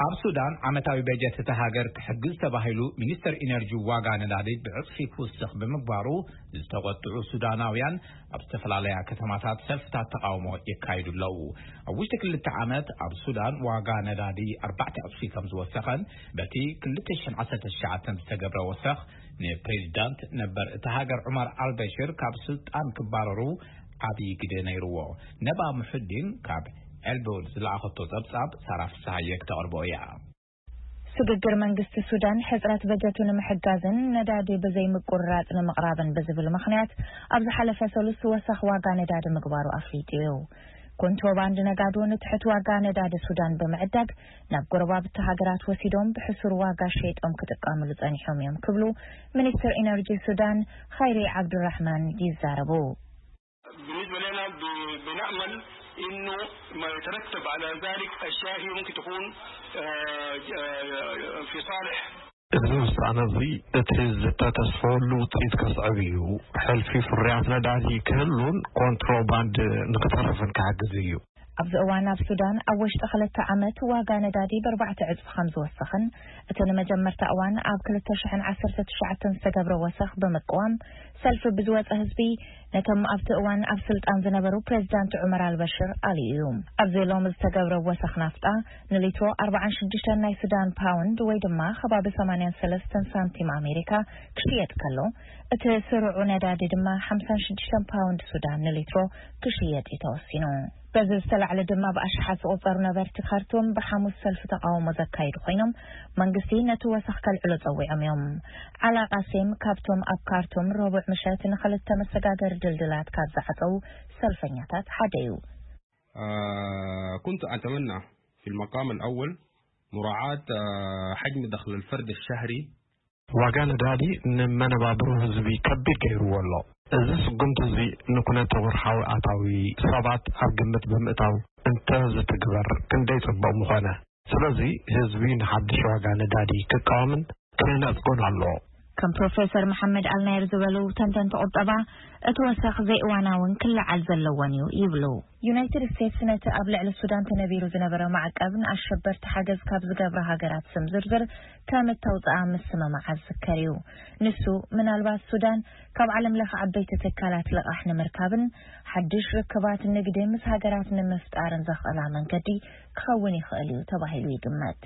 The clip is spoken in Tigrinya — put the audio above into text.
ኣብ ሱዳን ዓመታዊ በጀት እታ ሃገር ክሕግዝ ተባሂሉ፣ ሚኒስተር ኢነርጂ ዋጋ ነዳዲ ብዕጽፊ ክውስኽ ብምግባሩ ዝተቖጥዑ ሱዳናውያን ኣብ ዝተፈላለያ ከተማታት ሰልፍታት ተቓውሞ የካይዱ ኣለዉ። ኣብ ውሽጢ ክልተ ዓመት ኣብ ሱዳን ዋጋ ነዳዲ ኣርባዕተ ዕጽፊ ከም ዝወሰኸን በቲ ክልተ ሽሕን ዓሰርተ ትሽዓተን ዝተገብረ ወሰኽ ንፕሬዚዳንት ነበር እታ ሃገር ዑመር ኣልበሽር ካብ ስልጣን ክባረሩ ዓብዪ ግደ ነይርዎ። ነባ ሙሑዲን ካብ ኤልቦል ዝለኣኸቶ ጸብጻብ ሳራ ፍስሃየ ክተቕርቦ እያ። ስግግር መንግስቲ ሱዳን ሕጽረት በጀቱ ንምሕጋዝን ነዳዲ ብዘይ ምቁርራጽ ንምቕራብን ብዝብል ምኽንያት ኣብ ዝሓለፈ ሰሉስ ወሰኽ ዋጋ ነዳዲ ምግባሩ ኣፍሊጡ እዩ። ኮንትሮባንድ ነጋዶ ንትሕት ዋጋ ነዳዲ ሱዳን ብምዕዳግ ናብ ጎረባብቲ ሃገራት ወሲዶም ብሕሱር ዋጋ ሸይጦም ክጥቀምሉ ጸኒሖም እዮም ክብሉ ሚኒስትር ኢነርጂ ሱዳን ኸይሪ ዓብዱራሕማን ይዛረቡ። بالنسبة لنا ب- بنأمل إنه ما يترتب على ذلك أشياء هي ممكن تكون آه، آه، في صالح እዚ ውሳነ እዚ እቲ ዝተተስፈሉ ውፅኢት ከስዕብ እዩ። ሕልፊ ፍርያት ነዳዲ ክህሉን ኮንትሮባንድ ንክተርፍን ክሕግዝ እዩ። ኣብዚ እዋን ኣብ ሱዳን ኣብ ወሽጢ ክልተ ዓመት ዋጋ ነዳዲ ብኣርባዕተ ዕፅፊ ከም ዝወሰኽን እቲ ንመጀመርታ እዋን ኣብ ክልተ ሽሕን ዓሰርተ ትሽዓተን ዝተገብረ ወሰኽ ብምቅዋም ሰልፊ ብዝወፀ ህዝቢ ነቶም ኣብቲ እዋን ኣብ ስልጣን ዝነበሩ ፕሬዚዳንት ዑመር ኣልበሽር ኣልዩ እዩ። ኣብዚ ሎሚ ዝተገብረ ወሰኽ ናፍጣ ንሊትሮ ኣርባዓን ሽዱሽተን ናይ ሱዳን ፓውንድ ወይ ድማ ከባቢ ሰማንያን ሰለስተን ሳንቲም ኣሜሪካ ክሽየጥ ከሎ እቲ ስሩዑ ነዳዲ ድማ ሓምሳን ሽዱሽተን ፓውንድ ሱዳን ንሊትሮ ክሽየጥ እዩ ተወሲኑ። በዚ ዝተላዕለ ድማ ብኣሽሓት ዝቑጸሩ ነበርቲ ካርቱም ብሓሙስ ሰልፊ ተቓውሞ ዘካየዱ ኮይኖም መንግስቲ ነቲ ወሰኽ ከልዕሎ ጸዊዖም እዮም። ዓላ ቃሴም ካብቶም ኣብ ካርቱም ረቡዕ ምሸት ንኽልተ መሰጋገሪ ድልድላት ካብ ዝዓጸዉ ሰልፈኛታት ሓደ እዩ። آه كنت أتمنى في المقام الأول مراعاة آه حجم دخل الفرد الشهري ዋጋ ነዳዲ ንመነባብሮ ህዝቢ ከቢድ ገይርዎ ኣሎ። እዚ ስጉምቲ እዚ ንኩነተ ወርሓዊ ኣታዊ ሰባት ኣብ ግምት ብምእታው እንተ ዝትግበር ክንደይ ጽቡቕ ምኾነ። ስለዚ ህዝቢ ንሓድሽ ዋጋ ነዳዲ ክቃወምን ክነጽጎን ኣለዎ። ከም ፕሮፌሰር መሓመድ ኣልናየር ዝበሉ ተንተንቲ ቁጠባ እቲ ወሰኽ ዘይእዋናውን ክለዓል ዘለዎን እዩ ይብሉ። ዩናይትድ ስቴትስ ነቲ ኣብ ልዕሊ ሱዳን ተነቢሩ ዝነበረ ማዕቀብ ንኣሸበርቲ ሓገዝ ካብ ዝገብራ ሃገራት ስም ዝርዝር ከም እተውፅኣ ምስምማዓ ዝዝከር እዩ። ንሱ ምናልባት ሱዳን ካብ ዓለም ለኸ ዓበይቲ ትካላት ልቓሕ ንምርካብን ሓድሽ ርክባት ንግዲ ምስ ሃገራት ንምፍጣርን ዘኽእላ መንገዲ ክኸውን ይኽእል እዩ ተባሂሉ ይግመት።